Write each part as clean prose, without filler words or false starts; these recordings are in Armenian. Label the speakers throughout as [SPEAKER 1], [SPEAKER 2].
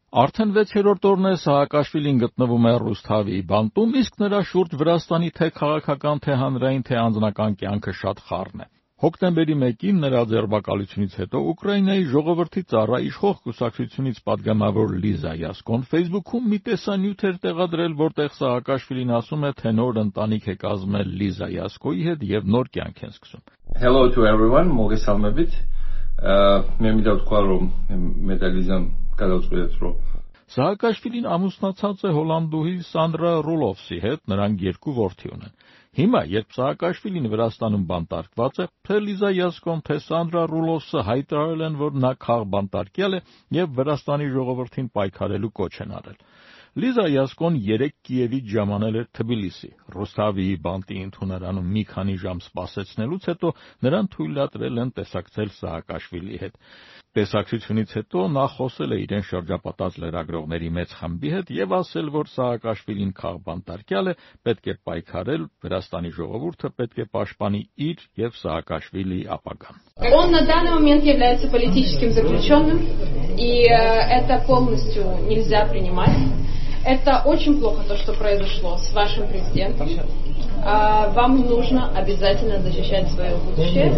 [SPEAKER 1] Արդեն 6-րդ օրն է Սաակաշվիլին գտնվում է Ռուսթավի բանտում, իսկ նրա շուրջ Վրաստանի թե քաղաքական, թե հանրային, թե անձնական կյանքը շատ խառն է։ Հոկտեմբերի 1-ին նրա ձերբակալությունից հետո Ուկրաինայի ժողովրդի ծառա իշխող կուսակցությունից պատգամավոր Լիզա Յասկոն Facebook-ում մի տեսանյութ էր տեղադրել, որտեղ Սաակաշվիլին ասում է, թե նոր ընտանիք է կազմել Լիզա Յասկոյի հետ եւ նոր կյանք են սկսում։
[SPEAKER 2] Hello to everyone, մոգեսալմեբիտ, մեմիդավտկարում մեդալիզան կադացուեցրո։
[SPEAKER 1] Սաակաշվիլին ամուսնացած է հոլանդուհի Սանդրա Ռուլովսի հետ, նրանք 2 որդի ունեն։ Հիմա, երբ Սաակաշվիլին Վրաստանում բանտարկված է, թե Լիզա Յասկոն, թե Սանդրա Ռուլովսը հայտարարել են, որ նա քաղբանտարկյալ է եւ Վրաստանի ժողովրդին պայքարելու կոչ են արել։ Լիզա Յասկոն 3 Կիևից ժամանել էր Թբիլիսի։ Ռուսթավիի բանտի ընդունարանում մի քանի ժամ սպասեցնելուց հետո նրան թույլատրել են տեսակցել Սաակաշվիլիի հետ։ Տեսակցությունից հետո նա խոսել է իրեն շրջապատած լրագրողների մեծ խմբի հետ եւ ասել, որ Սաակաշվիլին քաղբանտարկյալ է, պետք է պայքարել, Վրաստանի ժողովուրդը պետք է պաշտպանի իր եւ Սաակաշվիլիի ապագան։
[SPEAKER 3] Он на данный момент является политическим заключенным, и это полностью нельзя принимать. Это очень плохо то, что произошло с вашим президентом. Вам нужно обязательно защищать свое будущее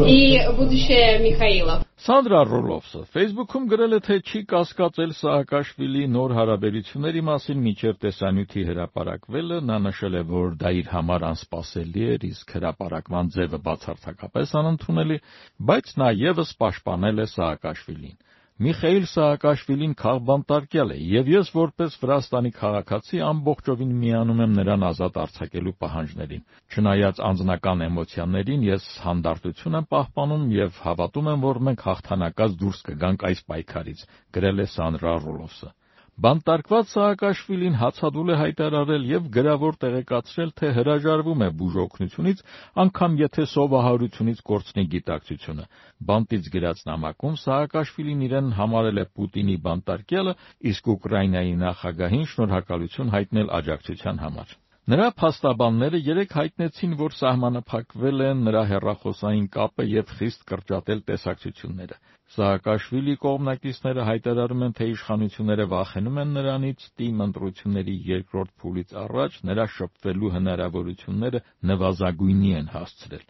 [SPEAKER 3] и будущее Михаила.
[SPEAKER 1] Սանդրա Ռուլովսը Facebook-ում գրել է, թե չի կասկածել Սաակաշվիլի նոր հարաբերությունների մասին մինչև տեսանյութի հրապարակվելը, նա նշել է, որ դա իր համար անսպասելի էր, իսկ հրապարակման ձևը բացարձակապես անընդունելի, բայց նա ևս պաշտպանել է Սաակաշվիլին։ Միխայիլ Սաակաշվիլին քաղբանտարկյալ է, եւ ես որպես Վրաստանի քաղաքացի ամբողջովին միանում եմ նրան ազատ արձակելու պահանջներին։ Չնայած անձնական էմոցիաներին, ես հանդարտություն եմ պահպանում եւ հավատում եմ, որ մենք հաղթանակած դուրս կգանք այս պայքարից, գրել է Սանդրա Ռուլովսը։ Բանտարկված Սաակաշվիլին հացադուլ է հայտարարել եւ գրավոր տեղեկացրել, թե հրաժարվում է բուժօգնությունից, անգամ եթե սովահարությունից կորցնի գիտակցությունը։ Բանտից գրած նամակում Սաակաշվիլին իրեն համարել է Պուտինի բանտարկյալը, իսկ Ուկրաինայի նախագահին շնորհակալություն հայտնել աջակցության համար։ Նրա փաստաբանները 3 հայտնեցին, որ սահմանափակվել է նրա հեռախոսային կապը եւ խիստ կրճատել տեսակցությունները։ Սաակաշվիլի կողմնակիցները հայտարարում են, թե իշխանությունները վախենում են նրանից, թիմ ընտրությունների երկրորդ փուլից առաջ նրա շփվելու հնարավորությունները նվազագույնի են հասցրել։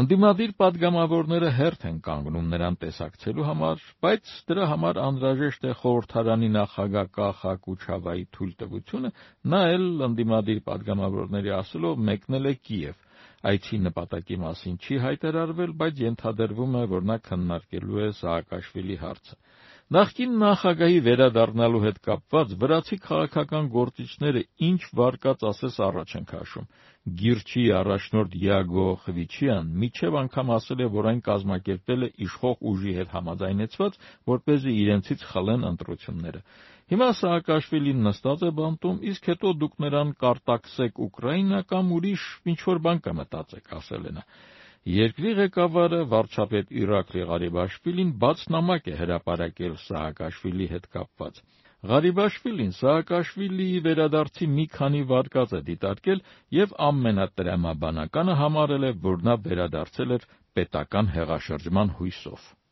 [SPEAKER 1] Ընդդիմադիր պատգամավորները հերթ են կանգնում նրան տեսակցելու համար, բայց դրա համար անհրաժեշտ է խորհրդարանի նախագահ Կախա Կուչավայի թույլտվությունը, նա էլ ընդդիմադիր պատգամավորների ասելով մեկնել է Կիև։ Այցի նպատակի մասին չի հայտարարվել, բայց ենթադրվում է, որ նա քննարկելու է Սաակաշվիլի հարցը։ Նախկին նախագահի վերադառնալու հետ կապված վրացի քաղաքական գործիչները ինչ վարկած ասես առաջ են քաշում։ Գիրչի առաջնորդ Յագո Խվիչյան միջև անգամ ասել է, որ այն կազմակերպել է իշխող ուժի հետ համաձայնեցված, որպեսզի իրենցից խլեն ընտրությունները։ Հիմա Սաակաշվիլին նստած է բանտում, իսկ հետո դուք նրան կարտաքսեք Ուկրաինա կամ ուրիշ ինչ-որ բան կմտածեք, ասել է նա։ Երկրի ղեկավարը վարչապետ Իրաքլի Ղարիբաշվիլին բաց նամակ է հրապարակել Սաակաշվիլի հետ կապված։ Ղարիբաշվիլին Սաակաշվիլիի վերադարձի մի քանի վարկած է դիտարկել եւ ամենատրամաբանականը համարել է, որ նա վերադարձել էր պետական հեղաշրջման հույսով։